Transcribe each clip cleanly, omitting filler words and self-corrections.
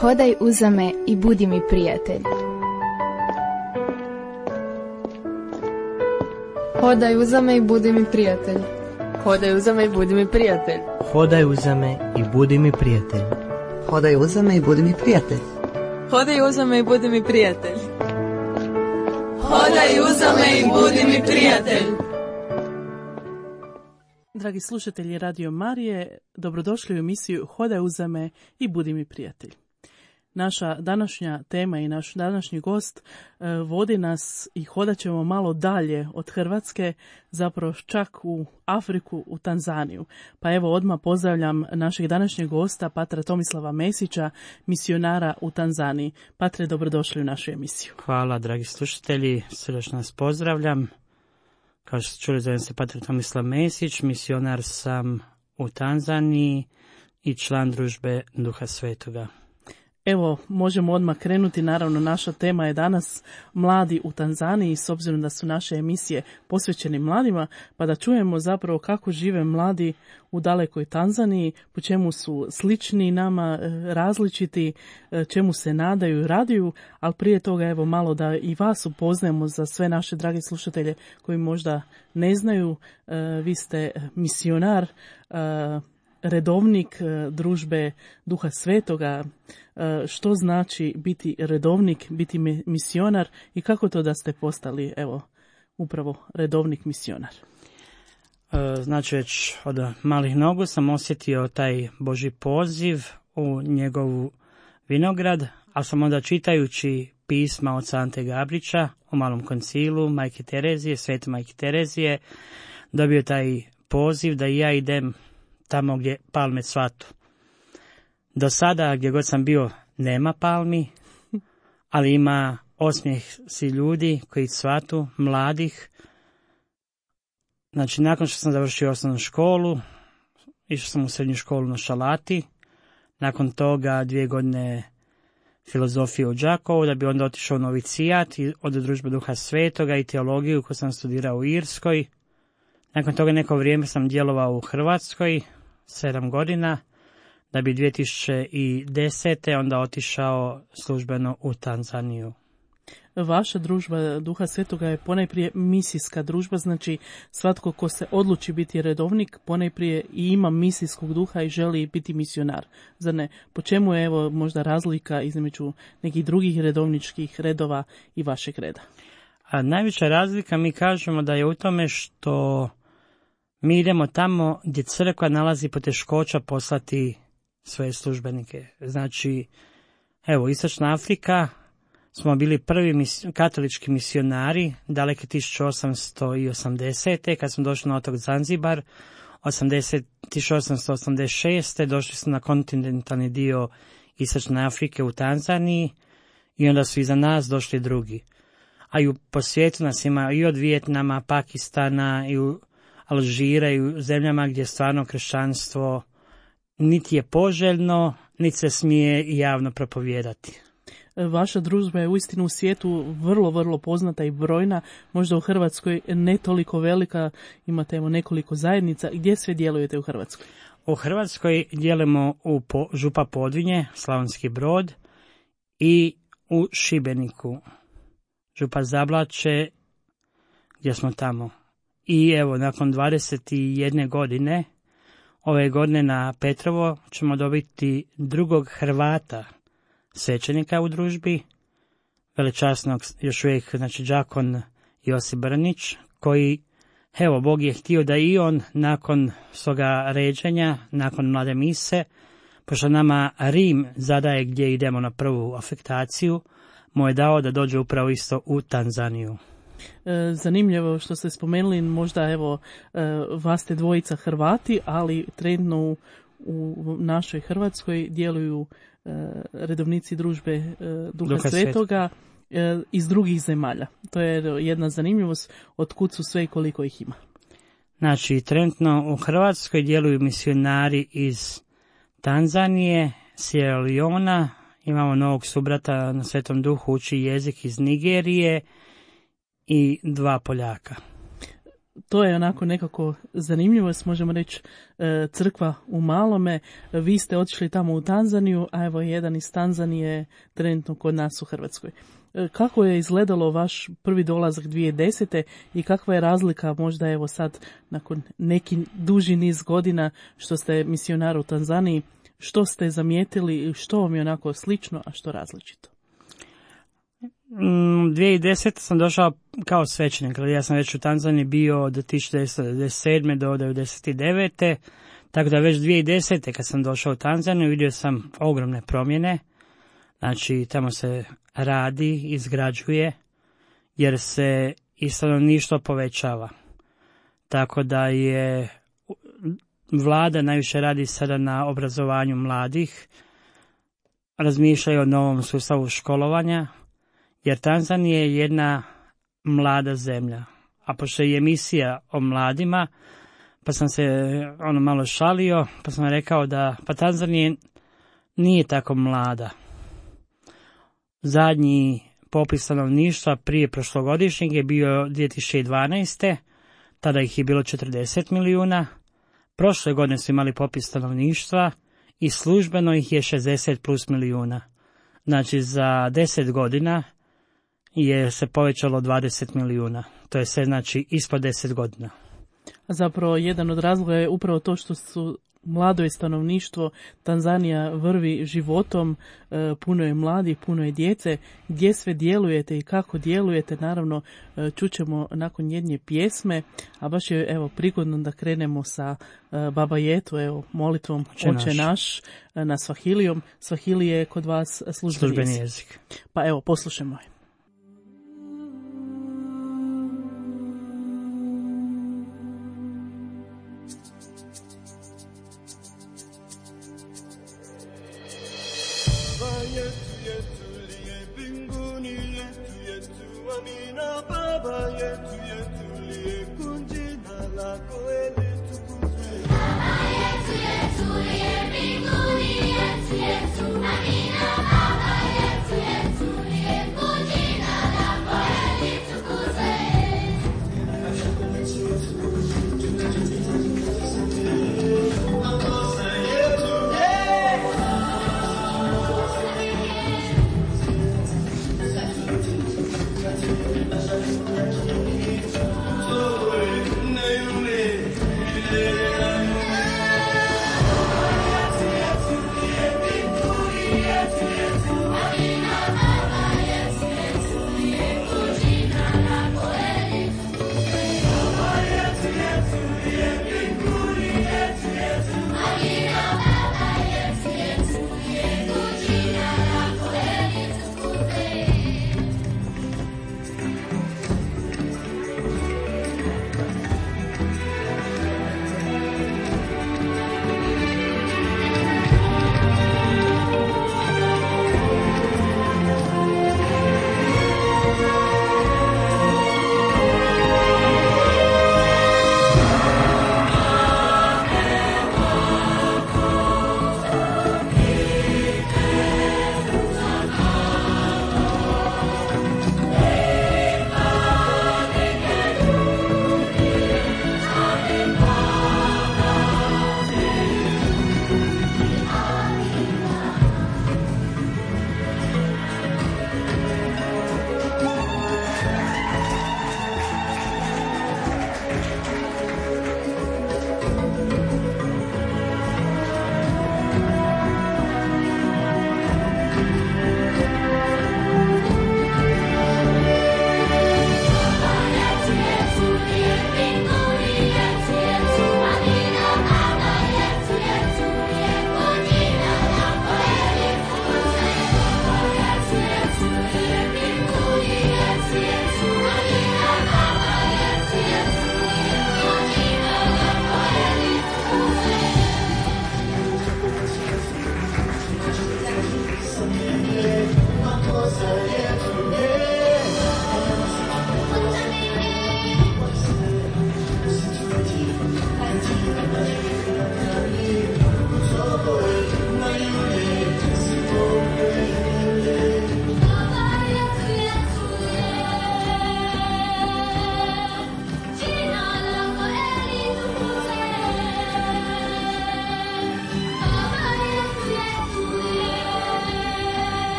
Hodaj uza me i budi mi prijatelj. Hodaj uza me i budi mi prijatelj. Hodaj uza me i budi mi prijatelj. Hodaj uza me i budi mi prijatelj. Hodaj uza me i budi mi prijatelj. Hodaj uza me i budi mi prijatelj. Hodaj uza me i budi mi prijatelj. Dragi slušatelji Radio Marije, dobrodošli u emisiju Hodaj uza me i budi mi prijatelj. Naša današnja tema i naš današnji gost vodi nas i hodat ćemo malo dalje od Hrvatske, zapravo čak u Afriku, u Tanzaniju. Pa evo odmah pozdravljam našeg današnjeg gosta, patra Tomislava Mesića, misionara u Tanzaniji. Patre, dobrodošli u našu emisiju. Hvala, dragi slušatelji, srdačno nas pozdravljam. Kao što ste čuli, zovem se patar Tomislav Mesić, misionar sam u Tanzaniji i član družbe Duha Svetoga. Evo, možemo odmah krenuti, naravno naša tema je danas mladi u Tanzaniji, s obzirom da su naše emisije posvećene mladima, pa da čujemo zapravo kako žive mladi u dalekoj Tanzaniji, po čemu su slični nama, različiti, čemu se nadaju i raduju, ali prije toga evo malo da i vas upoznajemo za sve naše drage slušatelje koji možda ne znaju, vi ste misionar, redovnik družbe Duha Svetoga. Što znači biti redovnik, biti misionar i kako to da ste postali, evo, upravo redovnik misionar? Znači, već od malih nogu sam osjetio taj Božji poziv u njegovu vinograd, ali sam onda čitajući pisma od Ante Gabrića o Malom koncilu, Majke Terezije, Svete Majke Terezije, dobio taj poziv da i ja idem tamo gdje palme cvatu. Do sada, gdje god sam bio, nema palmi, ali ima osmijeh si ljudi koji cvatu, mladih. Znači, nakon što sam završio osnovnu školu, išao sam u srednju školu na Šalati, nakon toga 2 godine filozofije u Đakovu, da bi onda otišao u novicijat od družbe Duha Svetoga i teologiju koju sam studirao u Irskoj. Nakon toga neko vrijeme sam djelovao u Hrvatskoj, 7 godina, da bi 2010. onda otišao službeno u Tanzaniju. Vaša družba Duha Svetoga je ponajprije misijska družba, znači svatko ko se odluči biti redovnik, ponajprije i ima misijskog duha i želi biti misionar. Zar ne? Po čemu je evo možda razlika između nekih drugih redovničkih redova i vašeg reda? A najveća razlika mi kažemo da je u tome što mi idemo tamo gdje crkva nalazi poteškoća poslati svoje službenike. Znači, evo, Istočna Afrika smo bili prvi katolički misionari, daleke 1880. kad smo došli na otok Zanzibar, 1886. došli smo na kontinentalni dio Istočne Afrike u Tanzaniji i onda su iza nas došli drugi. A i po svijetu nas ima i od Vijetnama, Pakistana, i u Alžira i u zemljama gdje stvarno kršćanstvo niti je poželjno, niti se smije javno propovijedati. Vaša družba je uistinu u svijetu vrlo, vrlo poznata i brojna, možda u Hrvatskoj ne toliko velika, imate evo nekoliko zajednica. Gdje sve djelujete u Hrvatskoj? U Hrvatskoj djelujemo u Župa Podvinje, Slavonski Brod, i u Šibeniku, Župa Zablaće, gdje smo tamo. I evo, nakon 21 godine, ove godine na Petrovo ćemo dobiti drugog Hrvata, svećenika u družbi, velečasnog još uvijek, znači đakon Josip Brnić, koji, evo, Bog je htio da i on nakon svoga ređenja, nakon mlade mise, pošto nama Rim zadaje gdje idemo na prvu afektaciju, mu je dao da dođe upravo isto u Tanzaniju. Zanimljivo što ste spomenuli, možda evo vas ste dvojica Hrvati, ali trenutno u našoj Hrvatskoj djeluju redovnici družbe Duha Svetoga iz drugih zemalja. To je jedna zanimljivost, otkud su sve i koliko ih ima. Znači, trenutno u Hrvatskoj djeluju misionari iz Tanzanije, Sierra Leona, imamo novog subrata na Svetom Duhu, uči jezik iz Nigerije i 2 Poljaka. to je onako nekako zanimljivo, možemo reći crkva u malome. Vi ste otišli tamo u Tanzaniju, a evo jedan iz Tanzanije trenutno kod nas u Hrvatskoj. Kako je izgledalo vaš prvi dolazak 2010. i kakva je razlika možda evo sad nakon neki duži niz godina što ste misionar u Tanzaniji, što ste zamijetili, što vam je onako slično, a što različito? 2010. sam došao kao svećenik, ja sam već u Tanzaniji bio od 1997. do 1999. Tako da već 2010. kad sam došao u Tanzaniju vidio sam ogromne promjene. Znači tamo se radi, izgrađuje, jer se i stanovništvo povećava. Tako da je vlada najviše radi sada na obrazovanju mladih, razmišljaju o novom sustavu školovanja, jer Tanzanija je jedna mlada zemlja. A pošto je emisija o mladima, pa sam se malo šalio, pa sam rekao da Tanzanija nije tako mlada. Zadnji popis stanovništva prije prošlogodišnjeg je bio 2012. Tada ih je bilo 40 milijuna. Prošle godine su imali popis stanovništva i službeno ih je 60 plus milijuna. Znači za 10 godina je se povećalo 20 milijuna. To je sve znači ispod 10 godina. Zapravo jedan od razloga je upravo to što su mlado je stanovništvo, Tanzanija vrvi životom, puno je mladih, puno je djece. Gdje sve djelujete i kako djelujete, naravno čućemo nakon jedne pjesme, a baš je evo prigodno da krenemo sa Baba Yetu, evo molitvom Oče naš na Svahilijom. Svahili je kod vas službeni jezik. Pa evo poslušajmo je.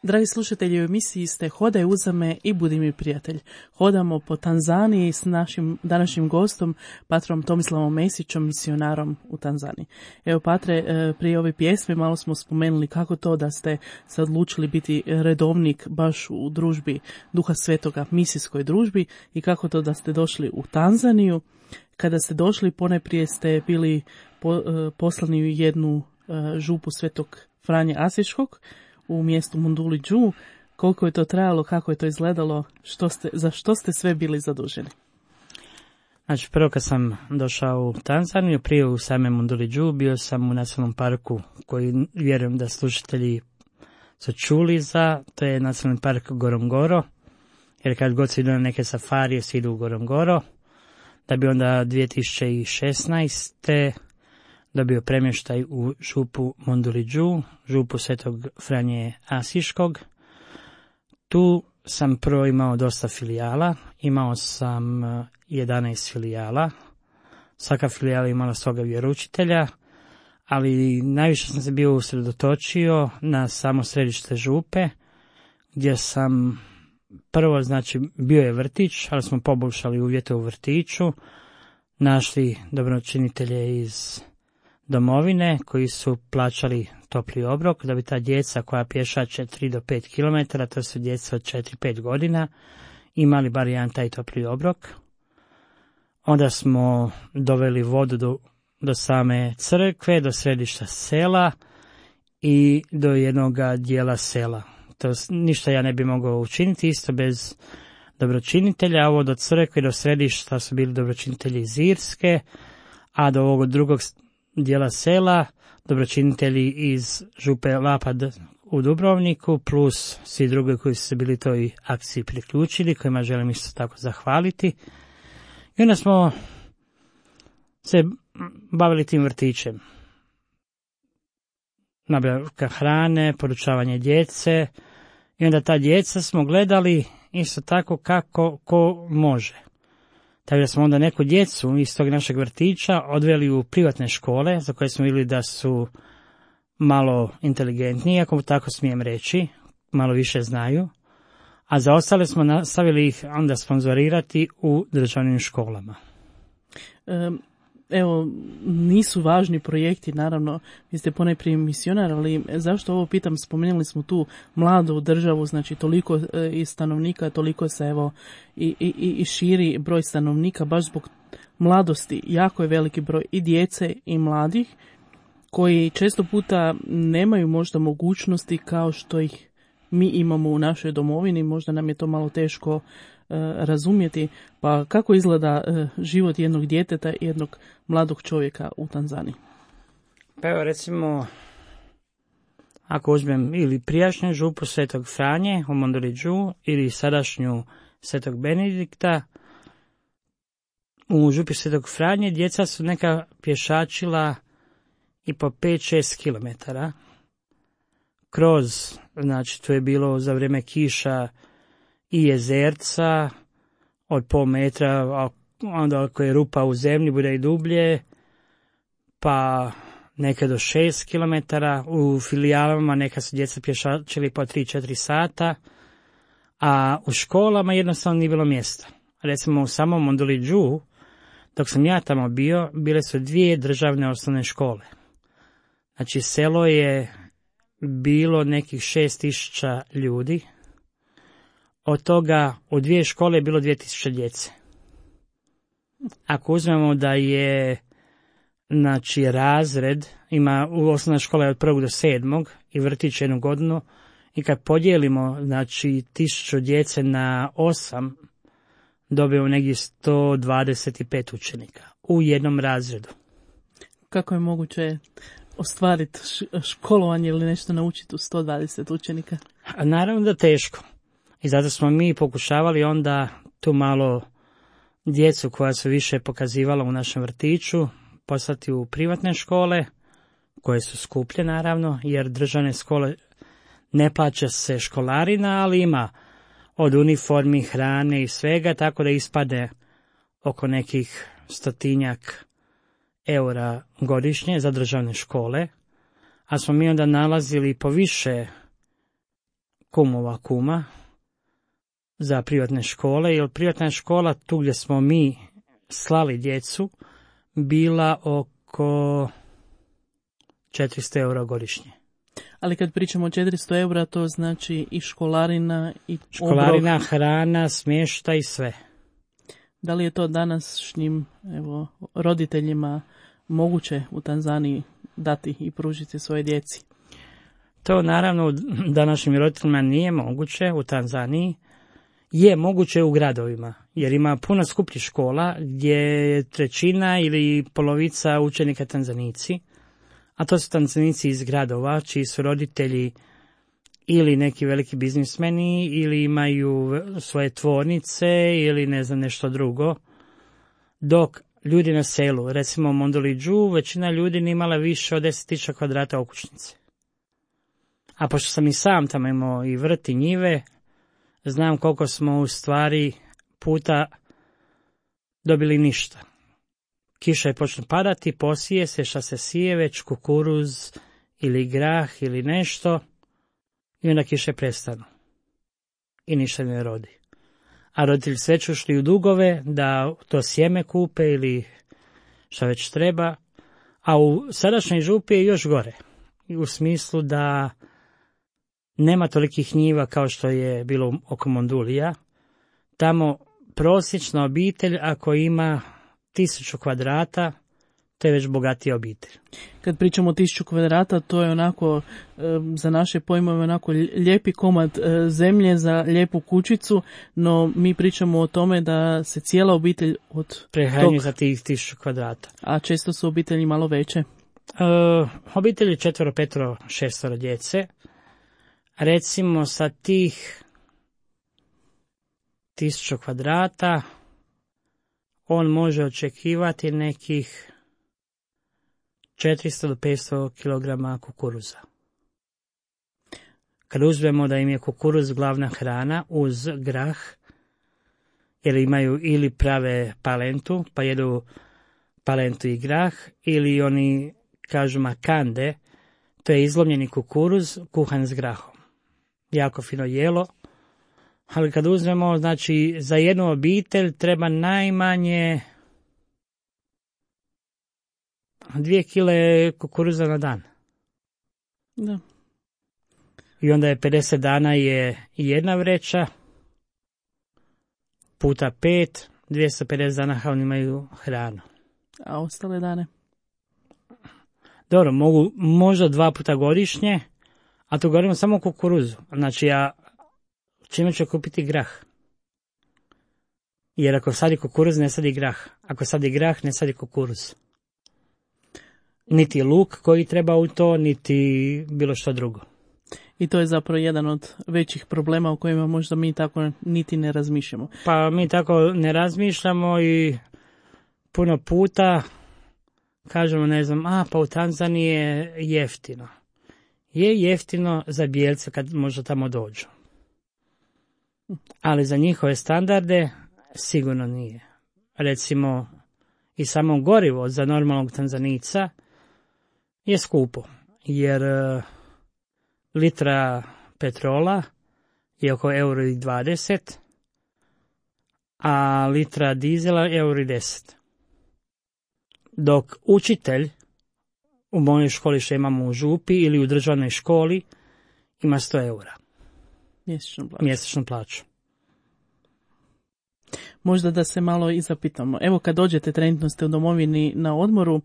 Dragi slušatelji, u emisiji ste Hodaj uzame i budi mi prijatelj. Hodamo po Tanzaniji s našim današnjim gostom, patrom Tomislavom Mesićem, misionarom u Tanzaniji. Evo, patre, prije ove pjesme malo smo spomenuli kako to da ste se odlučili biti redovnik baš u družbi Duha Svetoga, misijskoj družbi, i kako to da ste došli u Tanzaniju. Kada ste došli, ponajprije ste bili poslani u jednu župu Svetog Franje Asiškog u mjestu Monduli-Đu. Koliko je to trajalo, kako je to izgledalo, za što ste sve bili zaduženi? Znači, prvo kad sam došao u Tanzaniju, prije u same Monduli-Đu, bio sam u nacionalnom parku koji vjerujem da slušatelji su čuli za, to je nacionalni park Gorongoro, jer kad god se idu na neke safarije, se idu u Gorongoro, da bi onda 2016. dobio premještaj u župu Monduli-Đu, župu Svetog Franje Asiškog. Tu sam prvo imao dosta filijala, imao sam 11 filijala, svaka filijala imala svoga vjeroučitelja, ali najviše sam se bio usredotočio na samo središte župe, gdje sam prvo, znači, bio je vrtić, ali smo poboljšali uvjete u vrtiću, našli dobročinitelje iz domovine koji su plaćali topli obrok da bi ta djeca koja pješače 3 do 5 km, to su djeca od 4-5 godina, imali bar jedan taj topli obrok. Onda smo doveli vodu do same crkve, do središta sela i do jednog dijela sela. To ništa ja ne bi mogao učiniti isto bez dobročinitelja. Ovo do crkve i do središta su bili dobročinitelji iz Irske, a do ovog drugog dijela sela dobročinitelji iz župe Lapad u Dubrovniku, plus svi drugi koji su se bili toj akciji priključili, kojima želim isto tako zahvaliti. I onda smo se bavili tim vrtićem. Nabavka hrane, poručavanje djece, i onda ta djeca smo gledali isto tako kako ko može. Tako da smo onda neku djecu iz tog našeg vrtića odveli u privatne škole, za koje smo vidjeli da su malo inteligentniji, ako tako smijem reći, malo više znaju, a za ostale smo nastavili ih onda sponzorirati u državnim školama. Evo, nisu važni projekti, naravno, vi ste ponajprije misionar, ali zašto ovo pitam, spomenuli smo tu mladu državu, znači toliko i stanovnika, toliko se evo i širi broj stanovnika, baš zbog mladosti, jako je veliki broj i djece i mladih, koji često puta nemaju možda mogućnosti kao što ih mi imamo u našoj domovini, možda nam je to malo teško razumjeti. Pa kako izgleda život jednog djeteta i jednog mladog čovjeka u Tanzaniji? Pa evo, recimo, ako uzmem ili prijašnju župu Svetog Franje u Monduli-Đu ili sadašnju Svetog Benedikta, u župi Svetog Franje djeca su neka pješačila i po 5-6 kilometara kroz, znači to je bilo za vrijeme kiša i jezerca od pol metra, a onda ako je rupa u zemlji bude i dublje, pa neke do 6 kilometara. U filijalama neka su djeca pješačili po 3-4 sata, a u školama jednostavno nije bilo mjesta. Recimo u samom Monduli-Đu, dok sam ja tamo bio, bile su 2 državne osnovne škole. Znači selo je bilo nekih 6.000 ljudi, od toga u 2 škole je bilo 2.000 djece. Ako uzmemo da je, znači, razred, ima u osnovna škola je od 1. do 7. i vrtić 1 godinu, i kad podijelimo, znači, 1.000 djece na 8, dobijemo negdje 125 učenika u jednom razredu. Kako je moguće ostvariti školovanje ili nešto naučiti u 120 učenika? A naravno da teško. I zato smo mi pokušavali onda tu malo djecu koja su više pokazivala u našem vrtiću poslati u privatne škole, koje su skuplje naravno, jer državne škole ne plaća se školarina, ali ima od uniformi, hrane i svega, tako da ispade oko nekih 100 eura godišnje za državne škole, a smo mi onda nalazili po više kumova kuma za privatne škole, jer privatna škola tu gdje smo mi slali djecu bila oko 400 eura godišnje. Ali kad pričamo o 400 eura, to znači i školarina i školarina, obrok. hrana, smještaj i sve. Da li je to današnjim roditeljima moguće u Tanzaniji dati i pružiti svoje djeci? To naravno današnjim roditeljima nije moguće u Tanzaniji. Je moguće u gradovima, jer ima puno skupljih škola gdje je trećina ili polovica učenika Tanzanici, a to su Tanzanici iz gradova, čiji su roditelji ili neki veliki biznismeni, ili imaju svoje tvornice, ili ne znam nešto drugo. Dok ljudi na selu, recimo u Mondoliđu, većina ljudi nije imala više od 10.000 kvadrata okućnice. A pošto sam i sam tamo imao i vrt i njive, znam koliko smo u stvari puta dobili ništa. Kiša je počne padati, posije se šta se sije, već kukuruz ili grah ili nešto, i onda kiše prestanu. I ništa ne rodi. A roditelji sve će ušli u dugove da to sjeme kupe ili šta već treba. A u sadašnjoj župi je još gore. U smislu da nema tolikih njiva kao što je bilo oko Mondulija. Tamo prosječna obitelj, ako ima 1000 kvadrata, to je već bogatija obitelj. Kad pričamo o 1000 kvadrata, to je onako, za naše pojmove, onako lijepi komad zemlje za lijepu kućicu, no mi pričamo o tome da se cijela obitelj od prehranjuje za tih 1000 kvadrata. A često su obitelji malo veće? Obitelji 4, 5, 6 djece. Recimo sa tih 1000 kvadrata on može očekivati nekih 400 do 500 kg kukuruza. Kad uzmemo da im je kukuruz glavna hrana uz grah, jer imaju ili prave palentu, pa jedu palentu i grah, ili oni kažu makande, to je izlomljeni kukuruz kuhan s grahom. Jako fino jelo, ali kad uzmemo, znači za jednu obitelj treba najmanje 2 kile kukuruza na dan. Da. I onda je 50 dana je jedna vreća, puta 5, 250 dana oni imaju hranu. A ostale dane? Dobro, mogu možda 2 puta godišnje, a to govorimo samo o kukuruzu. Znači ja čime ću kupiti grah? Jer ako sadi kukuruz, ne sadi grah. Ako sadi grah, ne sadi kukuruz. Niti luk koji treba u to, niti bilo što drugo. I to je zapravo jedan od većih problema o kojima možda mi tako niti ne razmišljamo. Pa mi tako ne razmišljamo i puno puta kažemo, ne znam, pa u Tanzaniji je jeftino. Je jeftino za bijelce kad možda tamo dođu. Ali za njihove standarde sigurno nije. Recimo, i samo gorivo za normalnog Tanzanica je skupo, jer litra petrola je oko €1,20, a litra dizela je €1,10. Dok učitelj u mojoj školi što imamo u župi ili u državnoj školi ima €100 mjesečnu plaću. Možda da se malo i zapitamo. Evo kad dođete, trenutno ste u domovini na odmoru,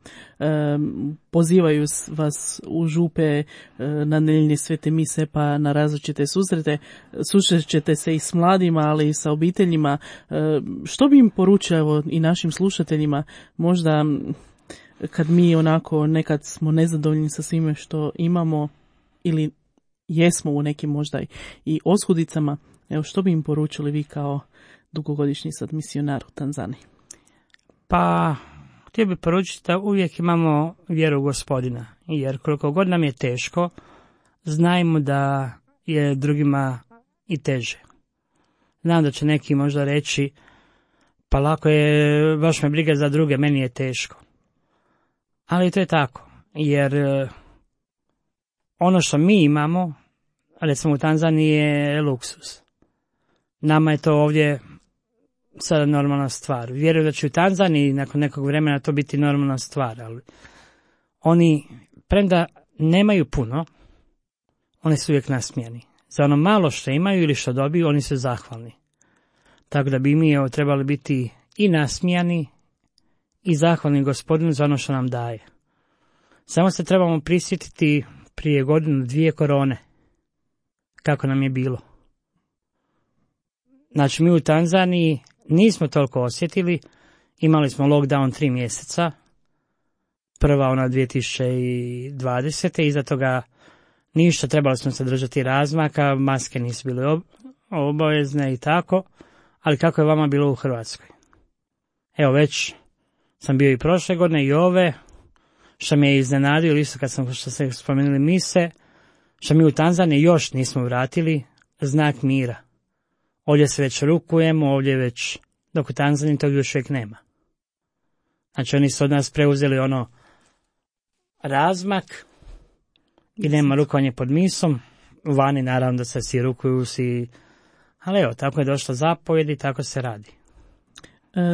pozivaju vas u župe na nedjeljne svete mise pa na različite susrete, susrećete se i s mladima, ali i sa obiteljima. Što bi im poručio, evo, i našim slušateljima, možda kad mi onako nekad smo nezadovoljni sa svime što imamo ili jesmo u nekim možda i oskudicama, evo što bi im poručili vi kao dugogodišnji sad misionar u Tanzaniji? Pa, htio bih poručiti da uvijek imamo vjeru u Gospodina, jer koliko god nam je teško, znajmo da je drugima i teže. Znam da će neki možda reći, pa lako je, baš me briga za druge, meni je teško. Ali to je tako, jer ono što mi imamo recimo u Tanzaniji je luksus. Nama je to ovdje sada normalna stvar. Vjerujem da će u Tanzaniji nakon nekog vremena to biti normalna stvar, ali oni, premda nemaju puno, oni su uvijek nasmijani. Za ono malo što imaju ili što dobiju, oni su zahvalni. Tako da bi mi trebali biti i nasmijani i zahvalni Gospodinu za ono što nam daje. Samo se trebamo prisjetiti prije 1-2 korone, kako nam je bilo. Znači, mi u Tanzaniji nismo toliko osjetili, imali smo lockdown 3 mjeseca, prva ona 2020. Iza toga ništa, trebali smo se držati razmaka, maske nisu bile obavezne i tako, ali kako je vama bilo u Hrvatskoj? Evo, već sam bio i prošle godine i ove, što me je iznenadio, isto kad sam, što ste spomenuli mise, što mi u Tanzaniji još nismo vratili znak mira. Ovdje se već rukujemo, ovdje već, dok u Tanzaniji tog još uvijek nema. Znači oni su od nas preuzeli ono razmak i nema rukovanje pod misom, vani naravno da se svi rukuju, ali evo, tako je došlo zapovjed i tako se radi.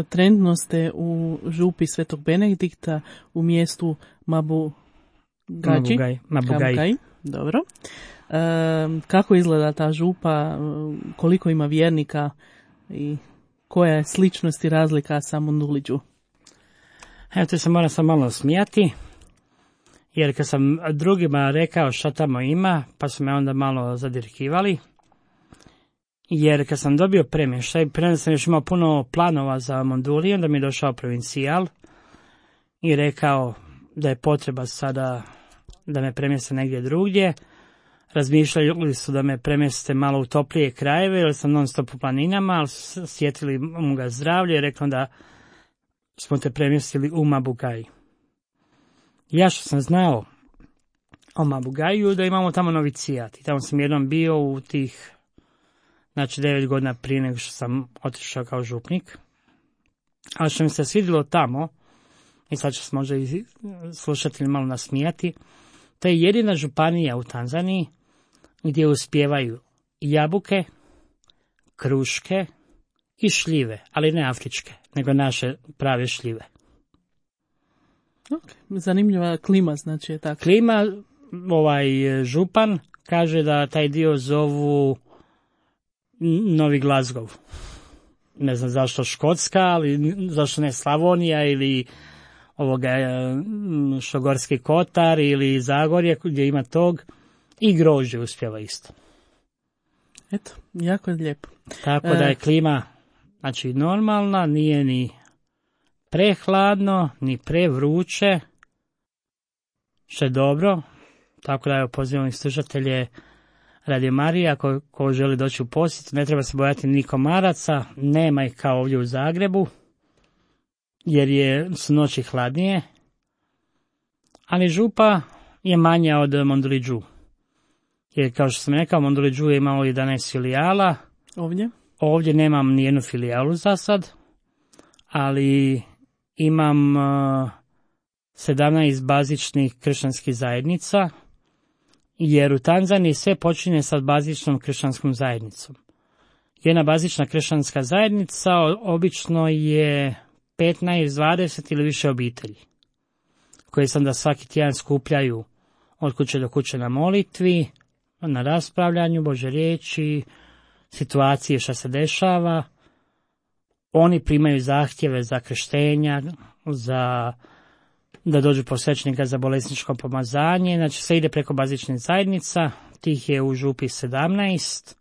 Trenutno ste u župi Svetog Benedikta u mjestu Mabugai. Dobro. Kako izgleda ta župa, koliko ima vjernika i koja je sličnost i razlika sa Mondulidžu? Evo, tu se moram sam malo smijati, jer kad sam drugima rekao šta tamo ima, pa su me onda malo zadirkivali. Jer kad sam dobio premještaj, prema sam još imao puno planova za Monduliju, onda mi je došao provincijal i rekao da je potreba sada da me premjeste negdje drugdje. Razmišljali su da me premjeste malo u toplije krajeve, jer sam non stop u planinama, ali su sjetili mu ga zdravlje i rekao da smo te premjestili u Mabugai. Ja što sam znao o Mabugaju, da imamo tamo novicijat. I tamo sam jednom bio u tih, znači 9 godina prije nego što sam otišao kao župnik. Ali što mi se svidjelo tamo, i sad će se možda i slušatelji malo nasmijati, to je jedina županija u Tanzaniji gdje uspijevaju jabuke, kruške i šljive, ali ne afričke, nego naše prave šljive. Okay. Zanimljiva klima, znači je tako. Klima, župan kaže da taj dio zovu Novi Glasgow. Ne znam zašto Škotska, ali zašto ne Slavonija ili što Gorski Kotar ili Zagorje gdje ima tog, i grožđe uspjeva isto. Eto, jako je lijepo. Tako da je klima, znači, normalna, nije ni prehladno, ni prevruće, što je dobro. Tako da pozivam slušatelje Radio Marije, ako želi doći u posjet, ne treba se bojati ni komaraca, nema ih kao ovdje u Zagrebu, jer su noći hladnije, ali župa je manja od Mondulidžu. Jer kao što sam rekao, Mondulidžu je imao 11 filijala. Ovdje nemam nijednu filijalu za sad, ali imam 17 bazičnih kršćanskih zajednica, jer u Tanzaniji sve počinje sa bazičnom kršćanskom zajednicom. Jedna bazična kršćanska zajednica obično je 15, 20 ili više obitelji, koje se onda svaki tjedan skupljaju od kuće do kuće na molitvi, na raspravljanju Božje riječi, situacije što se dešava. Oni primaju zahtjeve za krštenja, da dođu posvećenika za bolesničko pomazanje, znači sve ide preko bazičnih zajednica, tih je u župi 17,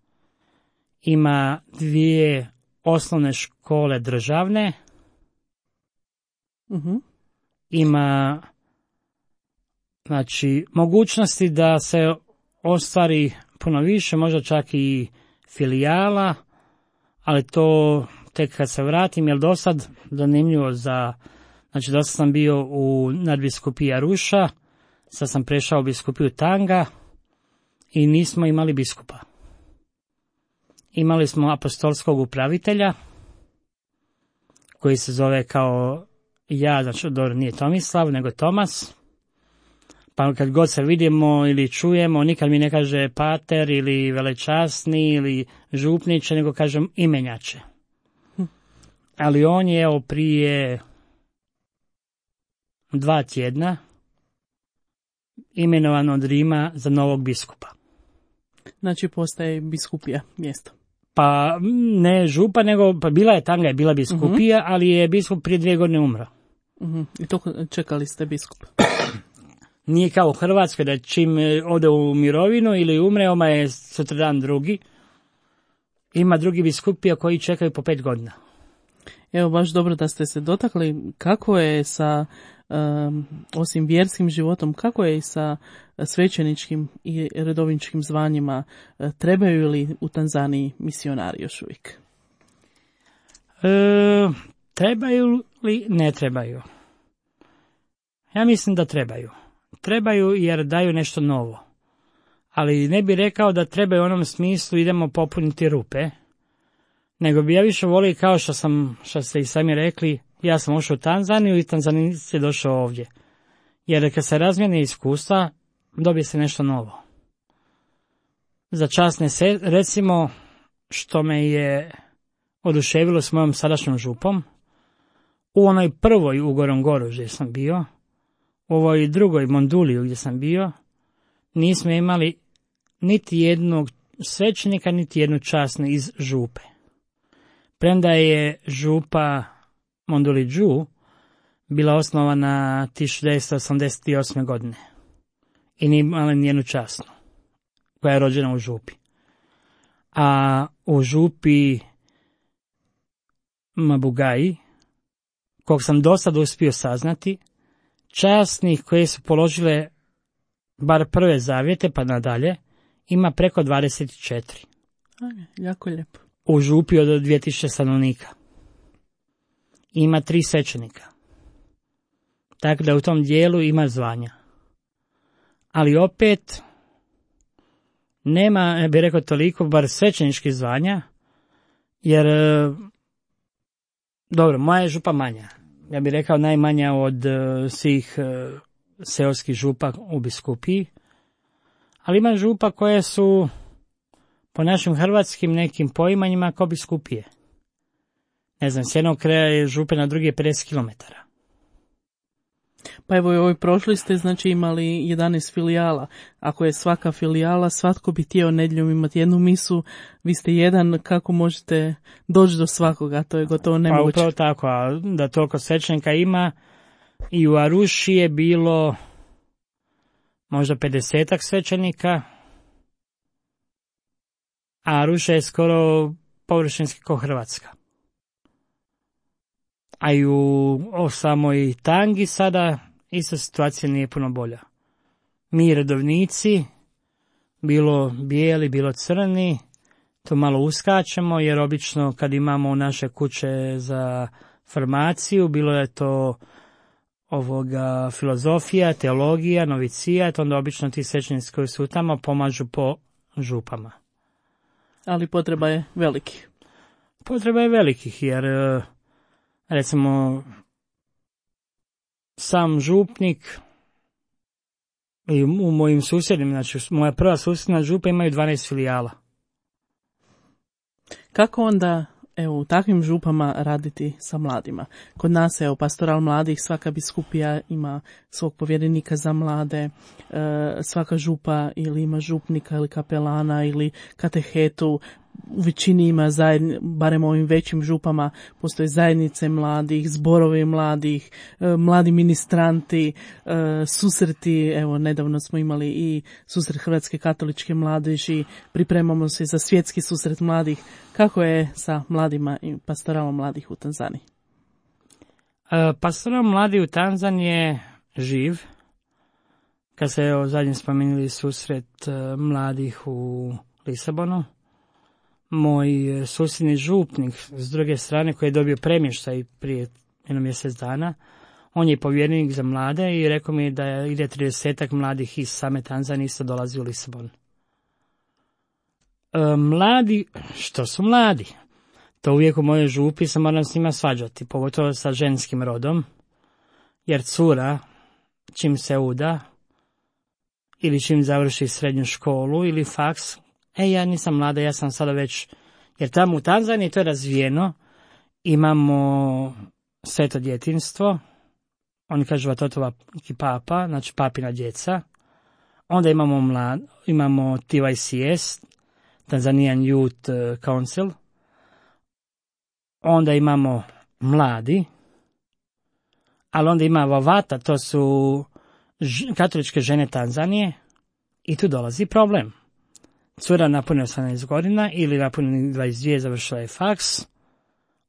ima 2 osnovne škole državne, ima, znači, mogućnosti da se ostvari puno više, možda čak i filijala, ali to tek kad se vratim, jer do sad, zanimljivo znači do sad sam bio u nadbiskupiji Aruša, sad sam prešao u biskupiju Tanga i nismo imali biskupa. Imali smo apostolskog upravitelja, koji se zove kao ja, znači dobro, nije Tomislav, nego Tomas, Pa kad god se vidimo ili čujemo, nikad mi ne kaže pater ili velečasni ili župniče, nego kažem imenjače. Ali on je evo prije 2 tjedna imenovan od Rima za novog biskupa. Znači postaje biskupija mjesto. Pa ne župa, nego pa bila je tanga, je bila biskupija, ali je biskup prije 2 godine umro. I to čekali ste biskupa? Nije kao u Hrvatskoj da čim ode u mirovinu ili umre, oma je sutradan drugi. Ima drugi biskupija koji čekaju po 5 godina. Evo, baš dobro da ste se dotakli. Kako je sa, osim vjerskim životom, kako je i sa svećeničkim i redovničkim zvanjima? Trebaju li u Tanzaniji misionari još uvijek? Trebaju li? Ne trebaju. Ja mislim da trebaju. Trebaju jer daju nešto novo. Ali ne bi rekao da trebaju u onom smislu idemo popuniti rupe, nego bi ja više volio kao što ste i sami rekli, ja sam ušao u Tanzaniju i Tanzanijac je došao ovdje. Jer kad se razmijene iskustva, dobije se nešto novo. Za čast recimo, što me je oduševilo s mojom sadašnjom župom, u onoj prvoj u Gorongoru gdje sam bio, u ovoj drugoj Monduliju gdje sam bio, nismo imali niti jednog svećenika, niti jednu časnu iz župe. Premda je župa Mondulidžu bila osnovana 1988. godine i nije imala nijednu časnu koja je rođena u župi. A u župi Mabugaji, kog sam do sada uspio saznati, časnih koje su položile bar prve zavjete pa nadalje, ima preko 24. Jako lijepo. U župi od 2000 stanovnika. Ima 3 svećenika. Tako da u tom dijelu ima zvanja. Ali opet nema, ja bih rekao toliko, bar svećeničkih zvanja, jer dobro, moja je župa manja. Ja bih rekao najmanja od svih seoskih župa u biskupiji. Ali ima župa koje su po našim hrvatskim nekim poimanjima kao biskupije. Ne znam, s jednog kraja je župe, na drugi je 50 km. Pa evo, ovoj prošli ste znači imali 11 filijala. Ako je svaka filijala, svatko bi htio nedjeljom imati jednu misu, vi ste jedan, kako možete doći do svakoga, to je gotovo nemoguće. Pa upravo tako, a da toliko svećenika ima, i u Aruši je bilo možda 50 svećenika, a Aruša je skoro površinski kao Hrvatska. A i u samoj Tangi sada isto situacija nije puno bolja. Mi redovnici, bilo bijeli, bilo crni, to malo uskačemo, jer obično kad imamo naše kuće za formaciju, bilo je to filozofija, teologija, novicijat, onda obično ti svećenici koji su tamo pomažu po župama. Ali potreba je velikih. Potreba je velikih, jer recimo sam župnik i u mojim susjednim, znači moja prva susjedna župa imaju 12 filijala. Kako onda, evo, u takvim župama raditi sa mladima? Kod nas, evo, pastoral mladih, svaka biskupija ima svog povjerenika za mlade, svaka župa ili ima župnika ili kapelana ili katehetu. U većini ima barem ovim većim župama, postoje zajednice mladih, zborovi mladih, mladi ministranti, susreti, evo nedavno smo imali i susret Hrvatske katoličke mladeži, pripremamo se za svjetski susret mladih. Kako je sa mladima i pastoralom mladih u Tanzaniji? Pastoral mladih u Tanzaniji je živ. Kad se zadnje spomenuli susret mladih u Lisabonu, moj susjedni župnik s druge strane koji je dobio premještaj prije jedno mjesec dana, on je povjerenik za mlade i rekao mi da ide 30 mladih iz same Tanzanije isto dolazi u Lisabon. Mladi, što su mladi? To uvijek u mojoj župi se moram s njima svađati, pogotovo sa ženskim rodom, jer cura, čim se uda, ili čim završi srednju školu ili faks, ja nisam mlada, ja sam sada već, jer tamo u Tanzaniji to je razvijeno, imamo sveto djetinjstvo, oni kažu Vatotova papa, znači papina djeca, onda imamo TYCS, Tanzanian Youth Council, onda imamo mladi, ali onda ima Vavata, to su katoličke žene Tanzanije, i tu dolazi problem. Cura napuni 18 godina ili napuni 22, završila je faks,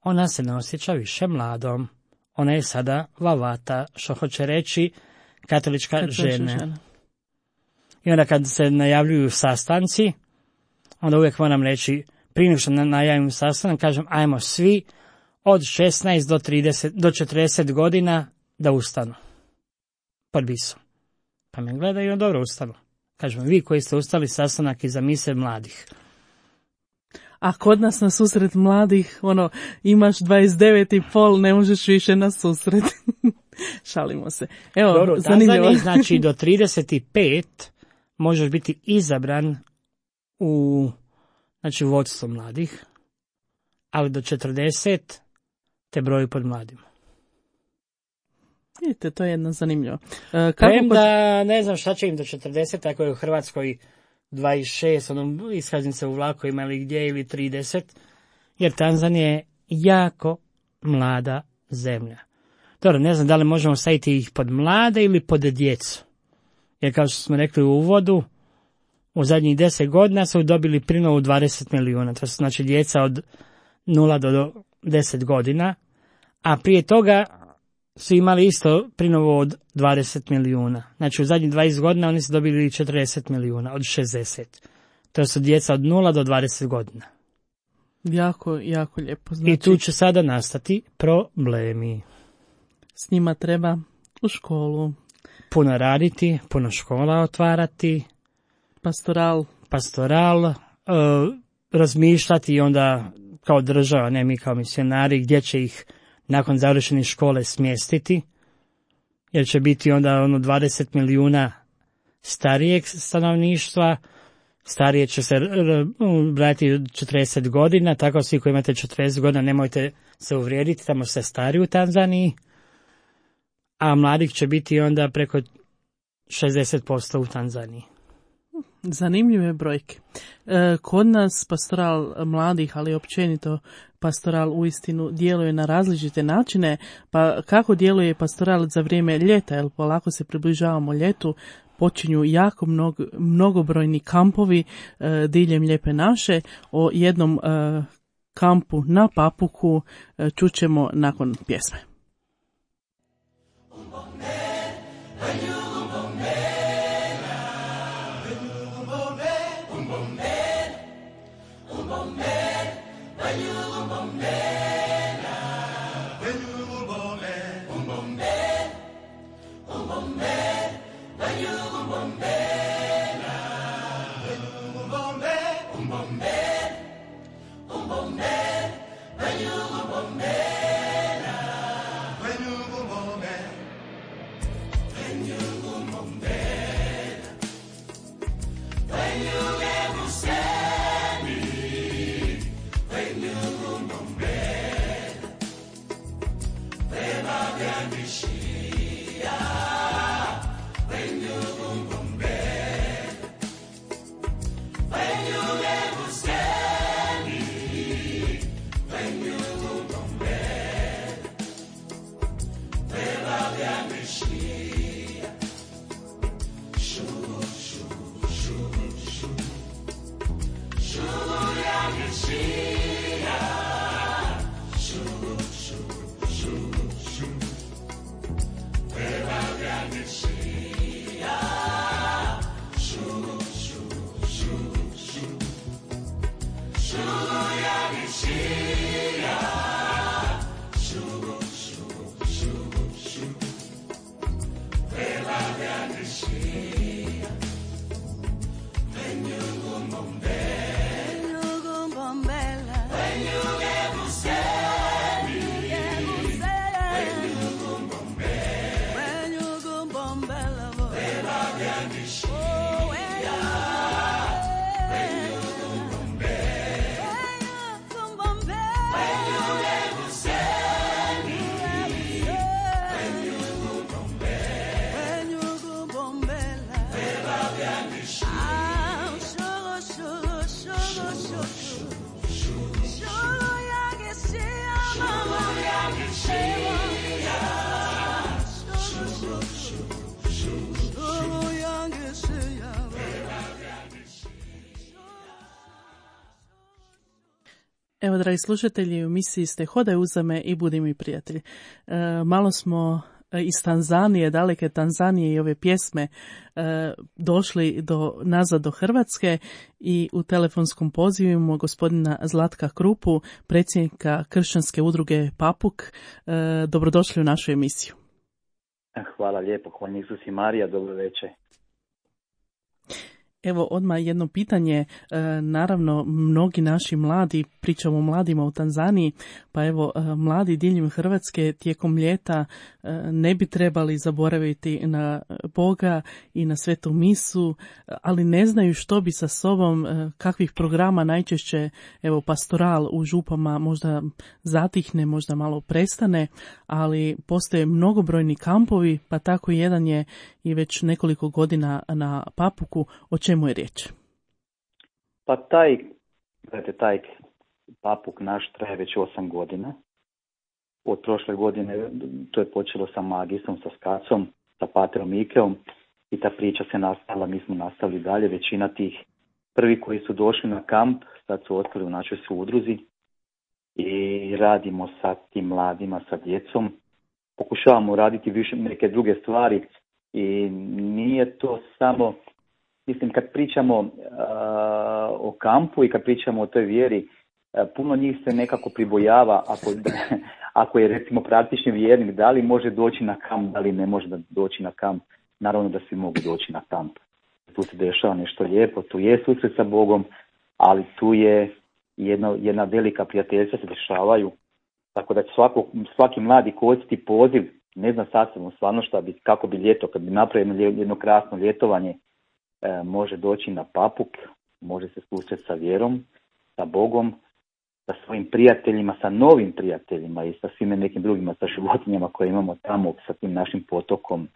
ona se ne osjeća više mladom. Ona je sada Vavata, što hoće reći katolička žena. I onda kad se najavljuju sastanci, onda uvijek moram reći, prije nego što najavim sastanak, kažem, ajmo svi od 16 do 40 godina da ustanu. Pod bisom. Pa me gledaju, dobro ustanu. Kažem, vi koji ste ustali, sastanak iza mise mladih. A kod nas na susret mladih, imaš 29,5, ne možeš više na susret. Šalimo se. Evo, dobro, u Tanzaniji, znači do 35 možeš biti izabran u vodstvo mladih, ali do 40 te broju pod mladima. Vidite, to je jedno zanimljivo. Premda ne znam šta će im do 40, ako je u Hrvatskoj 26, iskaznice u vlaku imali gdje ili 30, jer Tanzanija je jako mlada zemlja. Dobro, ne znam da li možemo staviti ih pod mlade ili pod djecu. Jer kao što smo rekli u uvodu, u zadnjih 10 godina su dobili prinovu 20 milijuna. To su znači djeca od 0 do 10 godina, a prije toga su imali isto prinovu od 20 milijuna. Znači u zadnjih 20 godina oni su dobili 40 milijuna od 60. To su djeca od 0 do 20 godina. Jako, jako lijepo. Znači, i tu će sada nastati problemi. S njima treba u školu. Puno raditi, puno škola otvarati. Pastoral, razmišljati i onda kao država, ne mi kao misionari, gdje će ih nakon završenih škole smjestiti, jer će biti onda 20 milijuna starijeg stanovništva, starije će se brati 40 godina, tako svi koji imate 40 godina nemojte se uvrijediti, tamo ste stari u Tanzaniji, a mladih će biti onda preko 60% u Tanzaniji. Zanimljive brojke. Kod nas pastoral mladih, ali općenito pastoral uistinu djeluje na različite načine, pa kako djeluje pastoral za vrijeme ljeta, jer polako se približavamo ljetu, počinju jako mnogobrojni kampovi diljem Lijepe naše. O jednom kampu na Papuku čućemo nakon pjesme. Evo, dragi slušatelji, u emisiji ste Hodaj uza me i budi mi prijatelj. Malo smo iz Tanzanije, daleke Tanzanije i ove pjesme došli nazad do Hrvatske i u telefonskom pozivu imamo gospodina Zlatka Krupu, predsjednika kršćanske udruge Papuk. Dobrodošli u našu emisiju. Hvala lijepo, hvala Isus i Marija, dobro večer. Evo odmah jedno pitanje, naravno mnogi naši mladi, pričamo o mladima u Tanzaniji, pa evo mladi diljem Hrvatske tijekom ljeta ne bi trebali zaboraviti na Boga i na svetu misu, ali ne znaju što bi sa sobom, kakvih programa najčešće, evo pastoral u župama možda zatihne, možda malo prestane, ali postoje mnogobrojni kampovi, pa tako jedan je i već nekoliko godina na Papuku. O čemu je riječ? Pa taj Papuk naš traje već 8 godina. Od prošle godine to je počelo sa Magisom, sa Skacom, sa Patrom Ikeom i ta priča se nastavila, mi smo nastavili dalje. Većina tih prvi koji su došli na kamp sad su ostali u našoj udruzi i radimo sa tim mladima, sa djecom. Pokušavamo raditi više neke druge stvari i nije to samo, mislim kad pričamo o kampu i kad pričamo o toj vjeri, puno njih se nekako pribojava ako je recimo praktični vjernik, da li može doći na kamp, da li ne može doći na kamp. Naravno da svi mogu doći na kamp. Tu se dešava nešto lijepo, tu je susret sa Bogom, ali tu je jedna velika prijateljstva se dešavaju. Tako da svaki mladi koristiti poziv, ne zna sasvim stvarno kako bi ljeto, kad bi napravio jedno krasno ljetovanje, može doći na Papuk, može se susreti sa vjerom, sa Bogom, sa svojim prijateljima, sa novim prijateljima i sa svime nekim drugima, sa životinjama koje imamo tamo, sa tim našim potokom.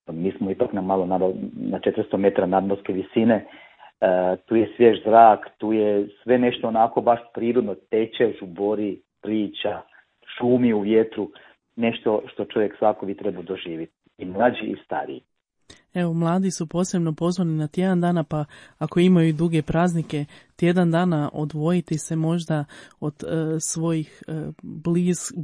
Mi smo ipak na 400 metara nadmorske visine, tu je svjež zrak, tu je sve nešto onako baš prirodno, teče, žubori, priča, šumi u vjetru, nešto što čovjek svako bi trebao doživjeti, i mlađi i stariji. Evo, mladi su posebno pozvani na tjedan dana, pa ako imaju duge praznike, tjedan dana odvojiti se možda od svojih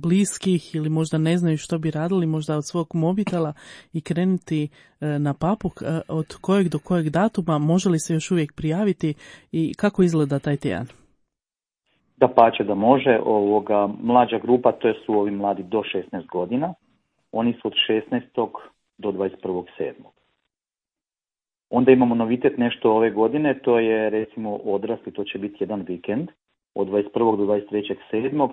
bliskih ili možda ne znaju što bi radili, možda od svog mobitela i krenuti na Papuk. Od kojeg do kojeg datuma može li se još uvijek prijaviti i kako izgleda taj tjedan? Dapače da može. Mlađa grupa, to su ovi mladi do 16 godina, oni su od 16. do 21.7. Onda imamo novitet nešto ove godine, to je recimo odrasli, to će biti jedan vikend, od 21. do 23.7.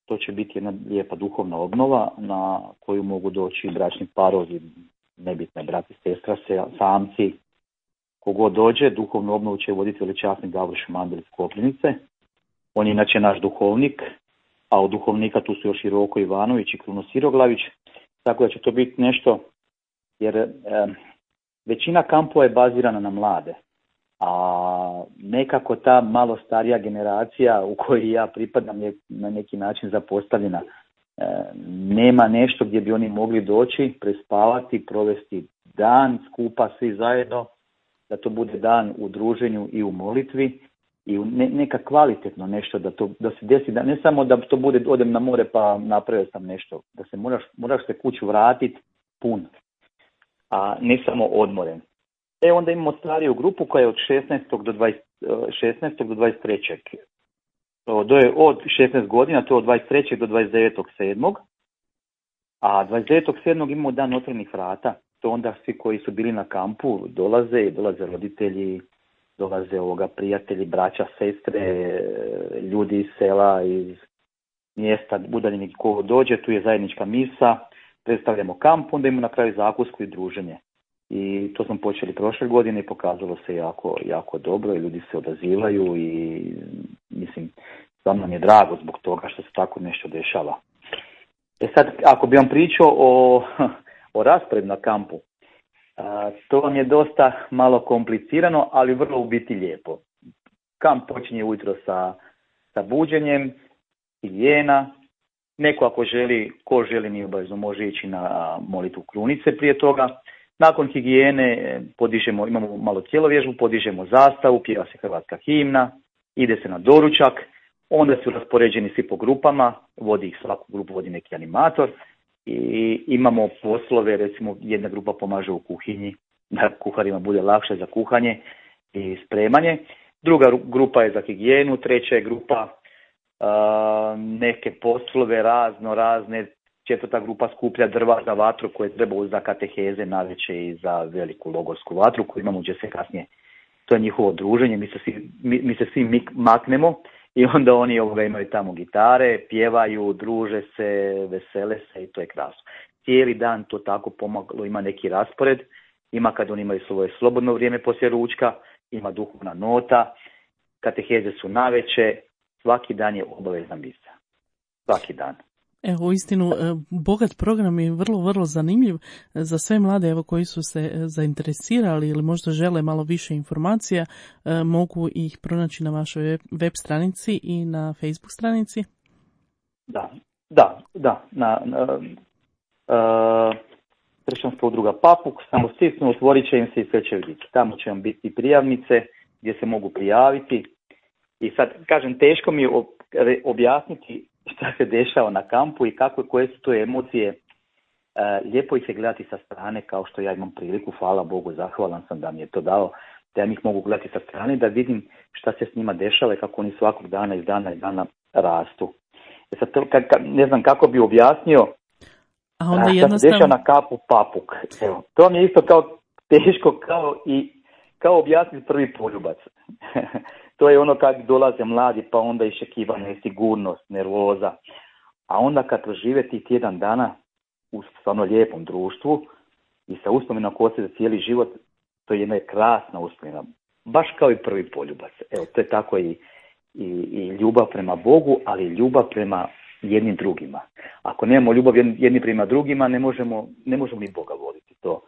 To će biti jedna lijepa duhovna obnova na koju mogu doći bračni parovi, nebitne brat i sestra, samci, kogod dođe. Duhovnu obnovu će voditi veličasni Davor Šmandel iz Koprivnice. On je inače naš duhovnik, a od duhovnika tu su još i Roko Ivanović i Kruno Siroglavić, tako da će to biti nešto, jer većina kampova je bazirana na mlade, a nekako ta malo starija generacija u kojoj ja pripadam je na neki način zapostavljena. Nema nešto gdje bi oni mogli doći, prespavati, provesti dan skupa svi zajedno, da to bude dan u druženju i u molitvi i neka kvalitetno nešto da se desi, da ne samo da to bude odem na more pa napravio sam nešto, da se moraš se kuću vratiti pun, a ne samo odmoren. Onda imamo stariju grupu koja je od 16. do 23. Od 16 godina, to je od 23. do 29.7. A 29.7. imamo dan otvorenih vrata. To onda svi koji su bili na kampu dolaze roditelji, dolaze prijatelji, braća, sestre, ljudi iz sela, iz mjesta, udaljeni ko dođe, tu je zajednička misa, predstavljamo kamp, onda imamo na kraju zakusku i druženje. I to smo počeli prošle godine i pokazalo se jako, jako dobro i ljudi se odazivaju i mislim, stvarno nam je drago zbog toga što se tako nešto dešava. Sad, ako bi vam pričao o rasporedu na kampu, to vam je dosta malo komplicirano, ali vrlo u biti lijepo. Kamp počinje ujutro sa buđenjem, higijena. Neko ko želi nije obavezno, može ići na molitvu krunice prije toga. Nakon higijene imamo malo tjelovježbu, podižemo zastavu, pjeva se hrvatska himna, ide se na doručak, Onda su raspoređeni svi po grupama, vodi ih svaku grupu, vodi neki animator i imamo poslove, recimo jedna grupa pomaže u kuhinji, da kuharima bude lakše za kuhanje i spremanje. Druga grupa je za higijenu, treća je grupa neke poslove razne. Četvrta grupa skuplja drva za vatru koje treba za kateheze navečer i za veliku logorsku vatru koju imamo gdje se kasnije. To je njihovo druženje, mi se svi maknemo i onda oni imaju tamo gitare, pjevaju, druže se, vesele se i to je krasno. Cijeli dan to tako pomagalo, ima neki raspored, ima kad oni imaju svoje slobodno vrijeme poslije ručka, ima duhovna nota, kateheze su navečer, svaki dan je obavezna misa. Svaki dan. Evo, uistinu, bogat program je vrlo zanimljiv za sve mlade evo, koji su se zainteresirali ili možda žele malo više informacija, mogu ih pronaći na vašoj web stranici i na Facebook stranici. Da. Na Kršćanska udruga Papuk, samo stisnu, otvorit će im se i sve će vidjeti. Tamo će vam biti prijavnice gdje se mogu prijaviti. I sad, kažem, teško mi je objasniti šta se dešava na kampu i koje su to emocije. Lijepo ih je gledati sa strane, kao što ja imam priliku, hvala Bogu, zahvalan sam da mi je to dao, da ja ih mogu gledati sa strane, da vidim šta se s njima dešava i kako oni svakog dana iz dana rastu. Sad, ne znam kako bi objasnio šta se dešava na kapu Papuk. Evo, to mi je isto kao teško kao objasniti prvi poljubac. To je ono kad dolaze mladi, pa onda iščekivanje, sigurnost, nervoza. A onda kad prožive ti tjedan dana u stvarno lijepom društvu i sa uspomenom ko se za cijeli život, to je jedna krasna uspomena. Baš kao i prvi poljubac. Evo, to je tako i ljubav prema Bogu, ali i ljubav prema jednim drugima. Ako nemamo ljubav jedni prema drugima, ne možemo ni Boga voliti. To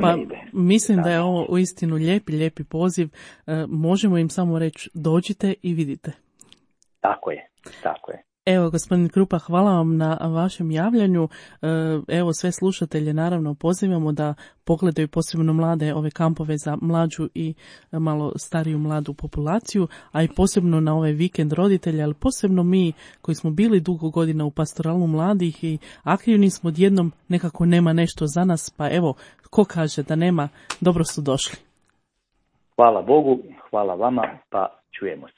ne ide. Mislim da je ovo uistinu lijepi poziv. Možemo im samo reći dođite i vidite. Tako je. Evo, gospodin Krupa, hvala vam na vašem javljanju. Evo, sve slušatelje naravno pozivamo da pogledaju posebno mlade ove kampove za mlađu i malo stariju mladu populaciju, a i posebno na ovaj vikend roditelja, ali posebno mi koji smo bili dugo godina u pastoralu mladih i aktivni smo, odjednom nekako nema nešto za nas, pa evo, ko kaže da nema, dobro su došli. Hvala Bogu, hvala vama, pa čujemo se.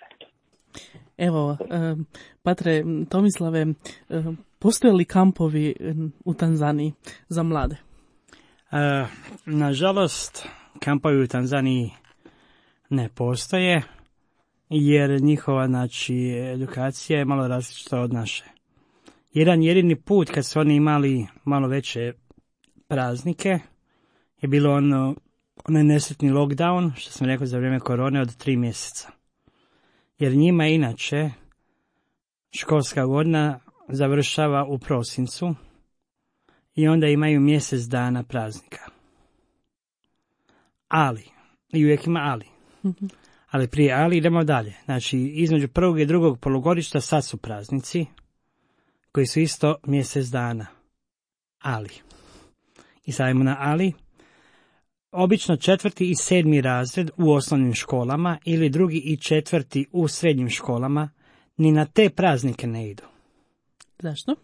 Evo, Patre Tomislave, postoje li kampovi u Tanzaniji za mlade? Nažalost, kampovi u Tanzaniji ne postoje, jer njihova edukacija je malo različita od naše. Jedan jedini put kad su oni imali malo veće praznike je bilo onaj nesretni lockdown, što sam rekao za vrijeme korone, od 3 mjeseca. Jer njima inače školska godina završava u prosincu i onda imaju mjesec dana praznika. Ali, i uvijek ima ali. Ali prije ali idemo dalje. Znači, između prvog i drugog polugodišta sad su praznici koji su isto mjesec dana. Ali. I sad idemo na ali. Obično 4. i 7. razred u osnovnim školama ili 2. i 4. u srednjim školama ni na te praznike ne idu. Zašto?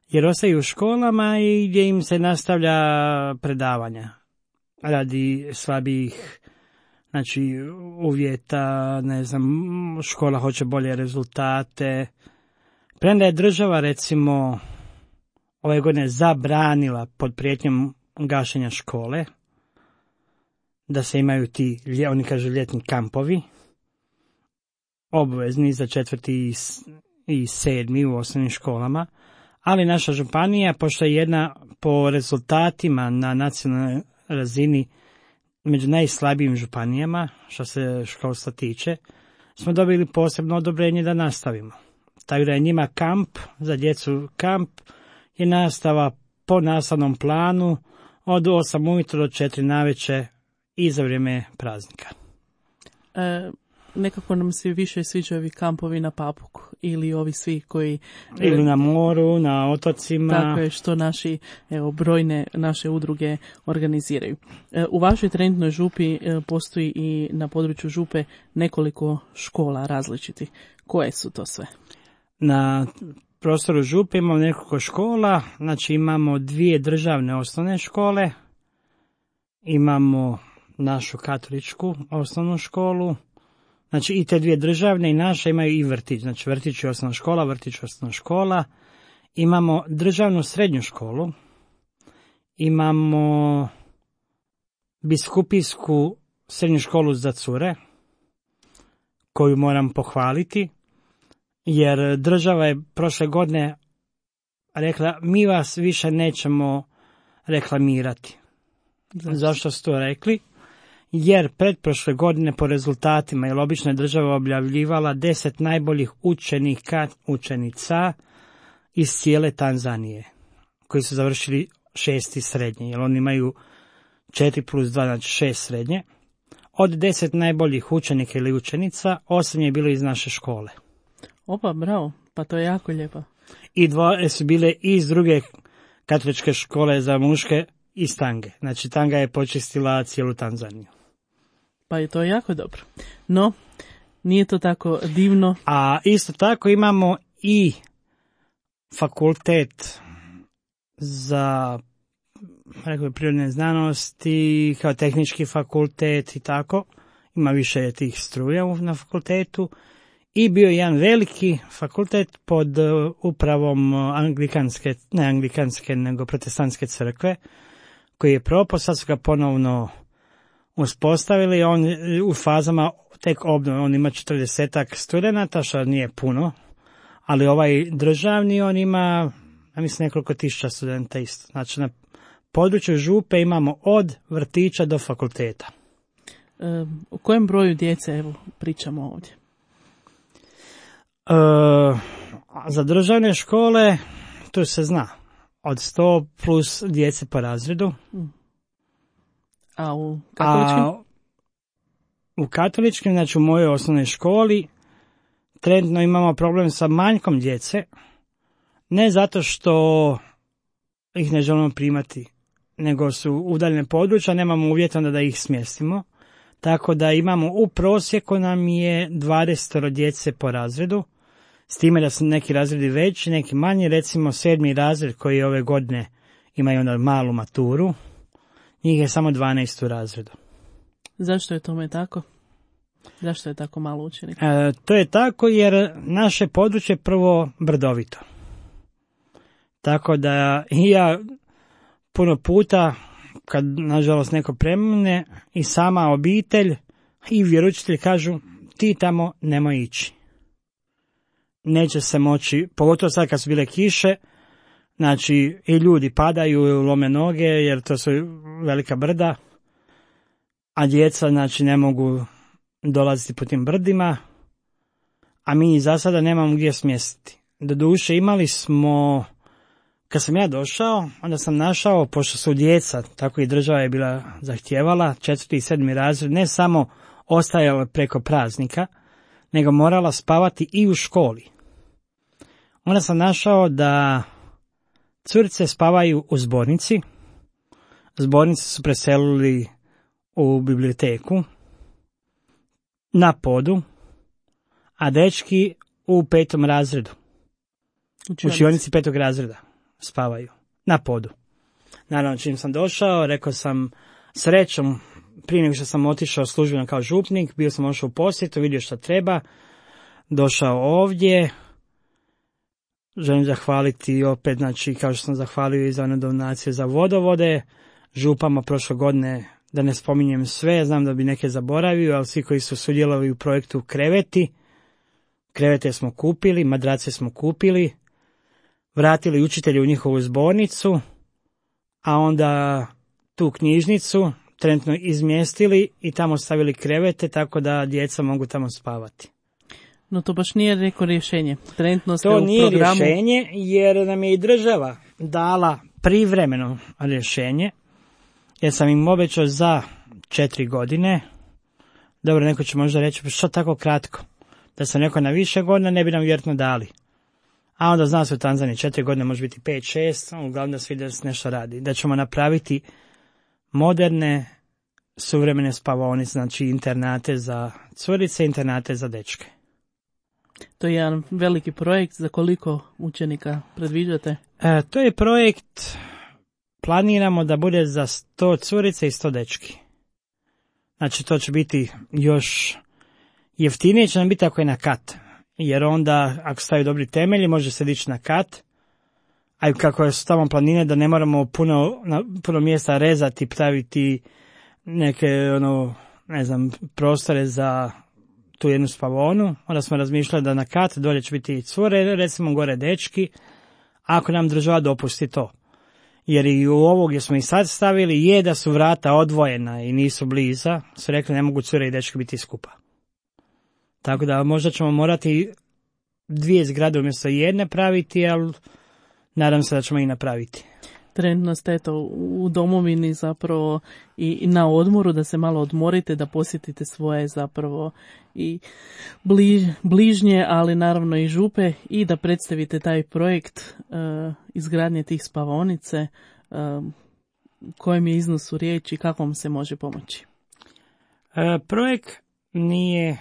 Jer ostaju u školama i gdje im se nastavlja predavanja radi slabijih uvjeta, ne znam, škola hoće bolje rezultate. Premda je država recimo ove godine zabranila pod prijetnjom gašenja škole da se imaju ti, oni kažu, ljetni kampovi, obvezni za 4. i 7. u osnovnim školama, ali naša županija, pošto je jedna po rezultatima na nacionalnoj razini među najslabijim županijama, što se školstva tiče, smo dobili posebno odobrenje da nastavimo. Tako da je njima kamp, za djecu kamp, je nastava po nastavnom planu od 8 ujutro do 4 navečer i za vrijeme praznika. Nekako nam se više sviđaju ovi kampovi na Papuku ili ovi svi koji... Ili na moru, na otocima. Tako je, što brojne naše udruge organiziraju. U vašoj trenutnoj župi postoji i na području župe nekoliko škola različitih. Koje su to sve? Na prostoru Župe imamo nekoliko škola, znači imamo 2 državne osnovne škole, imamo našu katoličku osnovnu školu, znači i te 2 državne i naša imaju i vrtić, znači vrtić je osnovna škola, vrtić je osnovna škola, imamo državnu srednju školu, imamo biskupijsku srednju školu za cure, koju moram pohvaliti, jer država je prošle godine rekla, mi vas više nećemo reklamirati. Zašto su to rekli? Jer pretprošle godine po rezultatima, jer obično je država objavljivala 10 najboljih učenica iz cijele Tanzanije, koji su završili 6. srednje, jer oni imaju 4+2, znači 6 srednje. Od 10 najboljih učenika ili učenica, 8 je bilo iz naše škole. Opa, bravo, pa to je jako lijepo. I 2 su bile iz druge katoličke škole za muške iz Tange. Znači Tanga je počistila cijelu Tanzaniju. Pa je to jako dobro. No, nije to tako divno. A isto tako imamo i fakultet za prirodne znanosti, kao tehnički fakultet i tako. Ima više tih struja na fakultetu. I bio jedan veliki fakultet pod upravom nego protestantske crkve, koji je propao, sad su ga ponovno uspostavili, on u fazama tek obnove, on ima 40 studenata, što nije puno, ali ovaj državni, on ima, ja mislim, nekoliko tisuća studenta isto. Znači, na području Župe imamo od vrtića do fakulteta. O kojem broju djece, evo, pričamo ovdje? Za državne škole, to se zna, od 100 plus djece po razredu. A u katoličkim? U katoličkim, znači u mojoj osnovnoj školi, trenutno imamo problem sa manjkom djece, ne zato što ih ne želimo primati, nego su udaljene područja, nemamo uvjeta da ih smjestimo, tako da imamo u prosjeku nam je 20 djece po razredu, s time da su neki razredi veći, neki manji, recimo 7. razred koji ove godine imaju onda malu maturu, njih je samo 12 u razredu. Zašto je tome tako? Zašto je tako malo učenika? To je tako jer naše područje je prvo brdovito. Tako da i ja puno puta, kad nažalost neko premine, i sama obitelj i vjeroučitelji kažu, ti tamo nemoj ići. Neće se moći, pogotovo sad kad su bile kiše, znači i ljudi padaju, lome noge jer to su velika brda, a djeca znači ne mogu dolaziti po tim brdima, a mi za sada nemamo gdje smjestiti. Doduše imali smo, kad sam ja došao, onda sam našao, pošto su djeca, tako i država je bila zahtijevala, 4. i 7. razred, ne samo ostajala preko praznika, nego morala spavati i u školi. Onda sam našao da curice spavaju u zbornici, zbornici su preselili u biblioteku, na podu, a dečki u 5. razredu, učionici 5. razreda spavaju, na podu. Naravno, čim sam došao, rekao sam, srećom, prije nego što sam otišao službeno kao župnik, bio sam ošao u posjetu, vidio što treba, došao ovdje, želim zahvaliti opet, znači, kao što sam zahvalio i za one donacije za vodovode, župama prošle godine, da ne spominjem sve, znam da bi neke zaboravio, ali svi koji su sudjelovali u projektu krevete smo kupili, madrace smo kupili, vratili učitelje u njihovu zbornicu, a onda tu knjižnicu trenutno izmjestili i tamo stavili krevete, tako da djeca mogu tamo spavati. No to baš nije neko rješenje. Trenutno ste to u nije programu... rješenje, jer nam je i država dala privremeno rješenje, jer sam im obećao za 4 godine. Dobro, neko će možda reći, pa što tako kratko? Da sam rekao na više godina, ne bi nam vjerojatno dali. A onda zna se u Tanzaniji 4 godine, može biti 5-6, uglavnom da se vidi da se nešto radi. Da ćemo napraviti moderne, suvremene spavaonice, znači internate za curice, internate za dečke. To je jedan veliki projekt. Za koliko učenika predviđate? To je projekt, planiramo da bude za 100 curice i 100 dečki. Znači to će biti još jeftinije, će nam biti ako je na kat. Jer onda, ako stavi dobri temelji, može se dići na kat. A kako su tamo planine da ne moramo puno mjesta rezati, praviti neke, prostore za tu jednu spavonu. Onda smo razmišljali da na kat dolje će biti cure, recimo gore dečki, ako nam država dopusti to. Jer i u ovo gdje smo i sad stavili je da su vrata odvojena i nisu bliza, su rekli ne mogu cure i dečki biti skupa. Tako da možda ćemo morati 2 zgrade umjesto jedne praviti, ali nadam se da ćemo i napraviti. Trenutno ste u domovini zapravo i na odmoru, da se malo odmorite, da posjetite svoje zapravo i bližnje, ali naravno i župe, i da predstavite taj projekt izgradnje tih spavaonice, kojem je iznosu riječ i kako vam se može pomoći. Projekt nije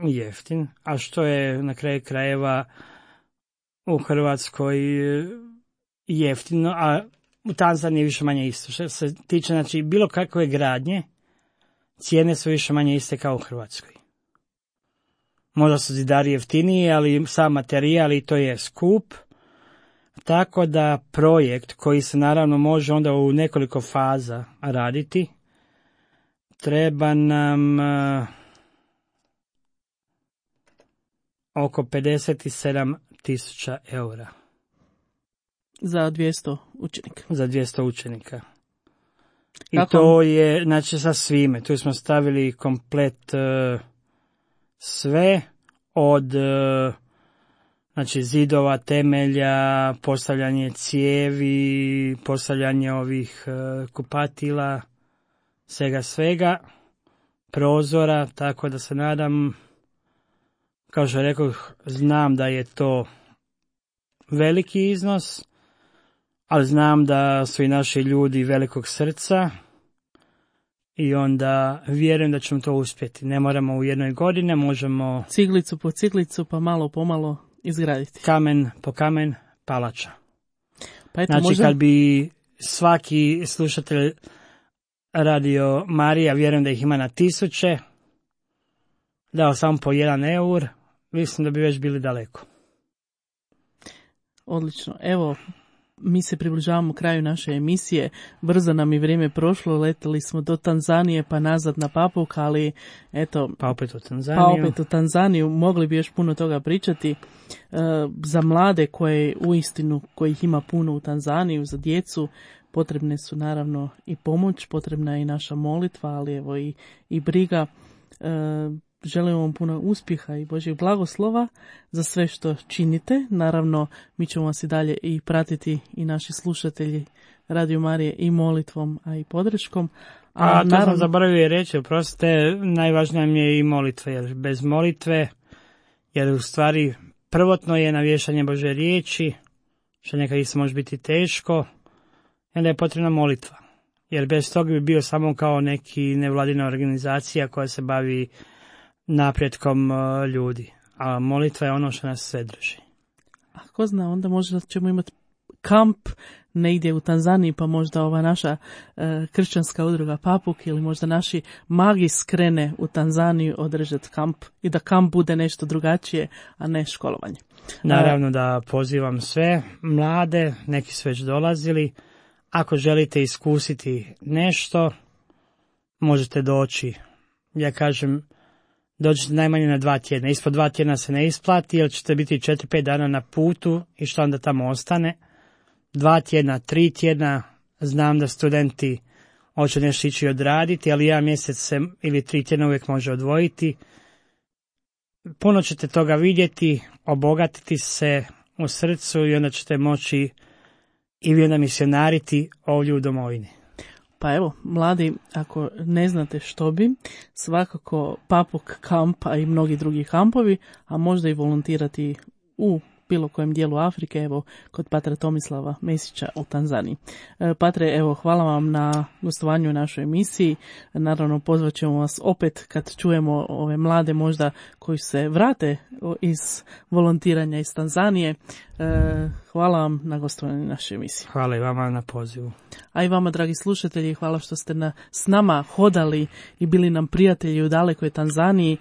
jeftin, a što je na kraju krajeva u Hrvatskoj jeftino, a u Tanzaniji više manje isto. Što se tiče, znači, bilo kakve gradnje, cijene su više manje iste kao u Hrvatskoj. Možda su zidari jeftiniji, ali sam materijal i to je skup. Tako da projekt koji se naravno može onda u nekoliko faza raditi, treba nam oko 57.000 eura. Za 200 učenika. Za 200 učenika. I kako? To je, znači, sa svime. Tu smo stavili komplet sve od znači zidova, temelja, postavljanje cijevi, postavljanje ovih kupatila, svega, prozora, tako da se nadam, kao što rekao, znam da je to veliki iznos, ali znam da su i naši ljudi velikog srca i onda vjerujem da ćemo to uspjeti. Ne moramo u jednoj godini, možemo ciglicu po ciglicu, pa malo po malo izgraditi. Kamen po kamen, palača. Pa eto, znači kad bi svaki slušatelj Radio Marija, vjerujem da ih ima na 1000, dao samo po 1 eur, mislim da bi već bili daleko. Odlično. Evo, mi se približavamo kraju naše emisije. Brzo nam je vrijeme prošlo, leteli smo do Tanzanije pa nazad na Papuk, ali eto... Pa opet u Tanzaniju. Mogli bi još puno toga pričati. Za mlade kojih ima puno u Tanzaniju, za djecu, potrebne su naravno i pomoć, potrebna je i naša molitva, ali evo i briga. Želim vam puno uspjeha i Božjeg blagoslova za sve što činite. Naravno, mi ćemo vas i dalje i pratiti i naši slušatelji Radio Marije i molitvom, a i podrškom. To sam zaboravio reći, oprostite, najvažnija mi je i molitva, jer bez molitve, jer u stvari prvotno je navješanje Božje riječi, što nekad isto može biti teško, i onda je potrebna molitva. Jer bez toga bi bio samo kao neki nevladina organizacija koja se bavi napretkom ljudi. A molitva je ono što nas sve drži. A ko zna, onda možda ćemo imati kamp negdje u Tanzaniji, pa možda ova naša kršćanska udruga Papuk ili možda naši magi skrene u Tanzaniju održati kamp i da kamp bude nešto drugačije, a ne školovanje. Naravno da pozivam sve mlade, neki su već dolazili. Ako želite iskusiti nešto, možete doći. Ja kažem, dođite najmanje na 2 tjedna. Ispod 2 tjedna se ne isplati, jer ćete biti 4-5 dana na putu i što onda tamo ostane. 2 tjedna, 3 tjedna, znam da studenti hoće nešto ići odraditi, ali 1 mjesec se ili 3 tjedna uvijek može odvojiti. Puno ćete toga vidjeti, obogatiti se u srcu i onda ćete moći i vi onda misionariti ovdje u domovini. Pa evo, mladi, ako ne znate što bi, svakako Papuk kamp, a i mnogi drugi kampovi, a možda i volontirati u bilo kojem dijelu Afrike, evo kod patra Tomislava Mesića u Tanzaniji. Patre, evo, hvala vam na gostovanju u našoj emisiji. Naravno, pozvat ćemo vas opet kad čujemo ove mlade možda koji se vrate iz volontiranja iz Tanzanije. Hvala vam na gostovanju našoj emisiji. Hvala i vama na pozivu. A i vama, dragi slušatelji, hvala što ste s nama hodali i bili nam prijatelji u dalekoj Tanzaniji.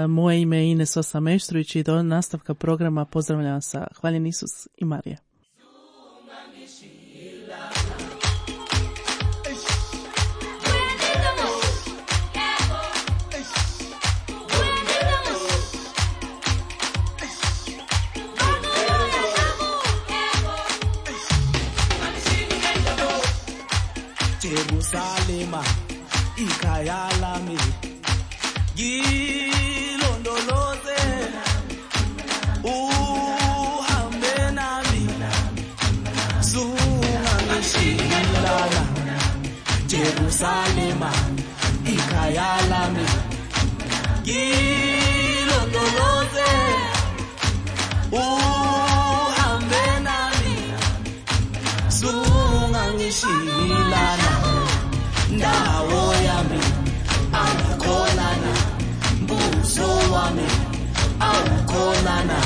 Moje ime je Ines Osa Meštrović i do nastavka programa pozdravljam vas sa Hvaljen Isus i Marija. Jerusalema ikhaya lami ngilondoloze uhambe nami zungangishilana Jerusalema ikhaya lami ngilondoloze uhambe nami zungangishilana ndawo yami awukholana mbuso wami awukholana